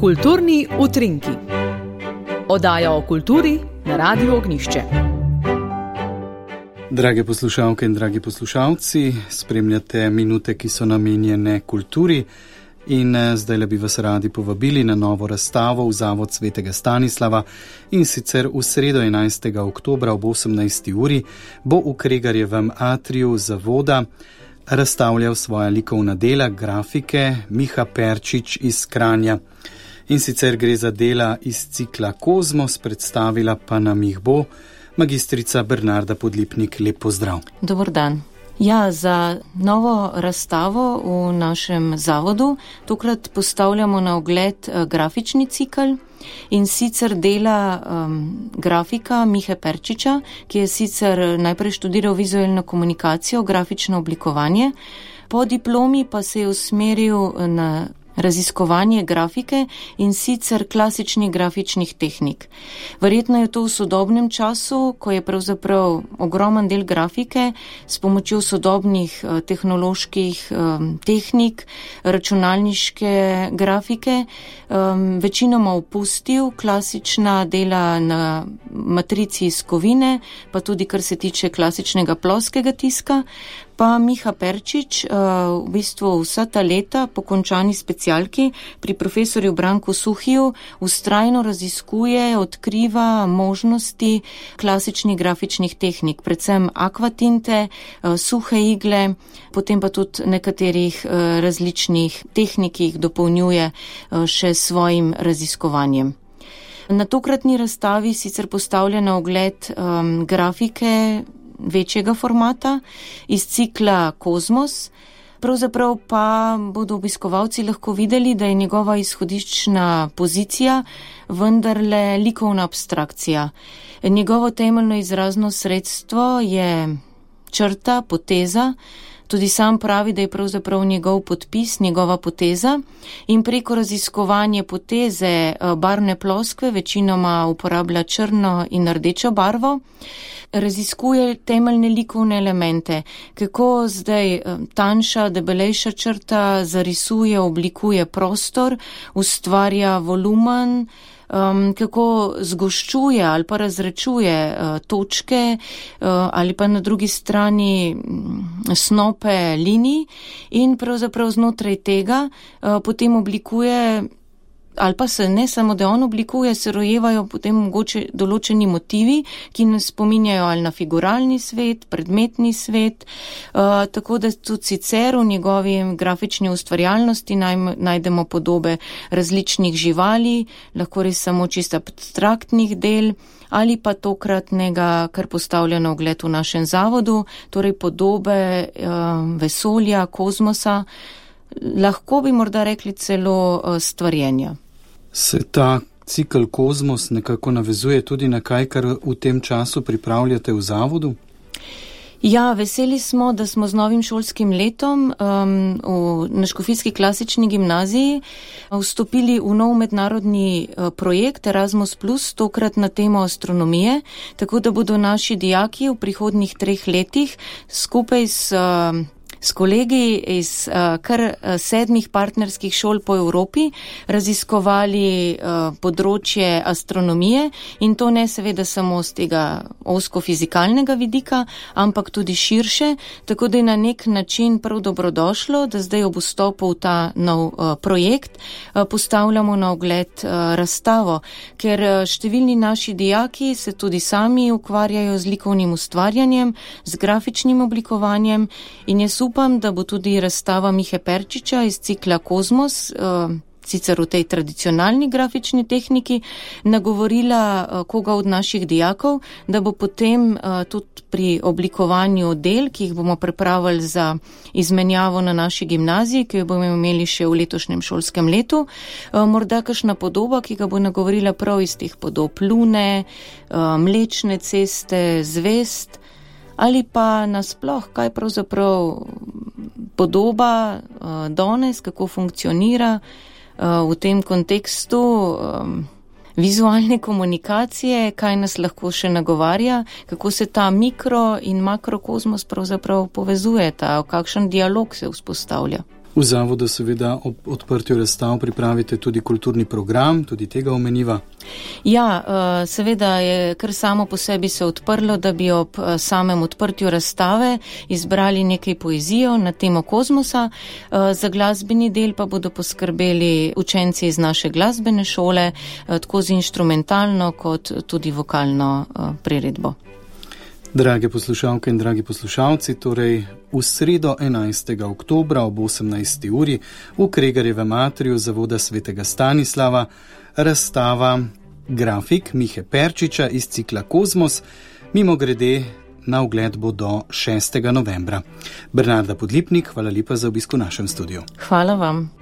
Kulturni utrinki. Oddaja o kulturi na Radiu Ognjišče. Drage poslušalke in dragi poslušalci, spremljate minute, ki so namenjene kulturi, in zdaj bi vas radi povabili na novo razstavo v Zavod Svetega Stanislava, in sicer v sredo 11. oktobra ob 18. uri bo v Kregarjevem atriju zavoda razstavljal svoja likovna dela, grafike Miha Perčič iz Kranja. In sicer gre za dela iz cikla Kozmos, predstavila pa nam jih bo magistrica Bernarda Podlipnik. Lep pozdrav. Dobar dan. Ja, za novo razstavo v našem zavodu tokrat postavljamo na ogled grafični cikl, in sicer dela grafika Mihe Perčiča, ki je sicer najprej študiral vizualno komunikacijo, grafično oblikovanje, po diplomi pa se je usmeril na raziskovanje grafike, in sicer klasičnih grafičnih tehnik. Verjetno je to v sodobnem času, ko je pravzaprav ogromen del grafike s pomočjo sodobnih tehnoloških tehnik, računalniške grafike, večinoma opustil klasična dela na matrici iz kovine, pa tudi kar se tiče klasičnega ploskega tiska. Pa Miha Perčič v bistvu vsa ta leta po končani specialki pri profesorju Branku Suhiju vztrajno raziskuje, odkriva možnosti klasičnih grafičnih tehnik, predvsem akvatinte, suhe igle, potem pa tudi nekaterih različnih tehnik, ki jih dopolnjuje še svojim raziskovanjem. Na tokratni razstavi sicer postavlja na ogled grafike večjega formata iz cikla Kozmos. Pravzaprav pa bodo obiskovalci lahko videli, da je njegova izhodiščna pozicija vendarle likovna abstrakcija. Njegovo temeljno izrazno sredstvo je črta, poteza. Tudi sam pravi, da je pravzaprav njegov podpis, njegova poteza, in preko raziskovanja poteze barvne ploskve večinoma uporablja črno in rdečo barvo, raziskuje temeljne likovne elemente, kako zdaj tanjša, debelejša črta zarisuje, oblikuje prostor, ustvarja volumen, kako zgoščuje ali pa razrečuje točke ali pa na drugi strani snope linij, in pravzaprav znotraj tega potem oblikuje, ali pa se ne samo, da on oblikuje, se rojevajo potem mogoče določeni motivi, ki nas spominjajo ali na figuralni svet, predmetni svet, tako da tudi sicer v njegovi grafični ustvarjalnosti najdemo podobe različnih živali, lahko res samo čisto abstraktnih del, ali pa tokratnega, kar postavlja na ogled v našem zavodu, torej podobe vesolja, kozmosa, lahko bi morda rekli celo stvarjenja. Se ta cikl Kozmos nekako navezuje tudi na kaj, kar v tem času pripravljate v zavodu? Ja, veseli smo, da smo z novim šolskim letom na Škofijski klasični gimnaziji vstopili v nov mednarodni projekt Erasmus+, tokrat na temo astronomije, tako da bodo naši dijaki v prihodnjih 3 letih skupaj s kolegi iz kar 7 partnerskih šol po Evropi raziskovali področje astronomije, in to ne seveda samo z tega ozko-fizikalnega vidika, ampak tudi širše, tako da je na nek način prav dobrodošlo, da zdaj ob vstopu v ta nov projekt postavljamo na ogled razstavo, ker številni naši dijaki se tudi sami ukvarjajo z likovnim ustvarjanjem, z grafičnim oblikovanjem, in jaz upam, da bo tudi razstava Mihe Perčiča iz cikla Kozmos, sicer v tej tradicionalni grafični tehniki, nagovorila koga od naših dijakov, da bo potem tudi pri oblikovanju del, ki jih bomo pripravili za izmenjavo na naši gimnaziji, ki jo bomo imeli še v letošnjem šolskem letu, morda kakšna podoba, ki ga bo nagovorila prav iz teh podob Lune, Mlečne ceste, zvezd, ali pa nasploh, kaj pravzaprav podoba danes, kako funkcionira v tem kontekstu vizualne komunikacije, kaj nas lahko še nagovarja, kako se ta mikro in makrokozmos pravzaprav povezujeta, kakšen dialog se vzpostavlja. V zavodu seveda ob odprtju razstav pripravite tudi kulturni program, tudi tega omeniva. Ja, seveda je kar samo po sebi se odprlo, da bi ob samem odprtju razstave izbrali nekaj poezijo na temo kozmosa. Za glasbeni del pa bodo poskrbeli učenci iz naše glasbene šole, tako z inštrumentalno kot tudi vokalno priredbo. Drage poslušalke in dragi poslušalci, torej v sredo 11. oktobra ob 18. uri v Kregarjevem atriju Zavoda svetega Stanislava razstava grafik Mihe Perčiča iz cikla Kozmos, mimogrede na ogled bo do 6. novembra. Bernarda Podlipnik, hvala lepa za obisk v našem studiu. Hvala vam.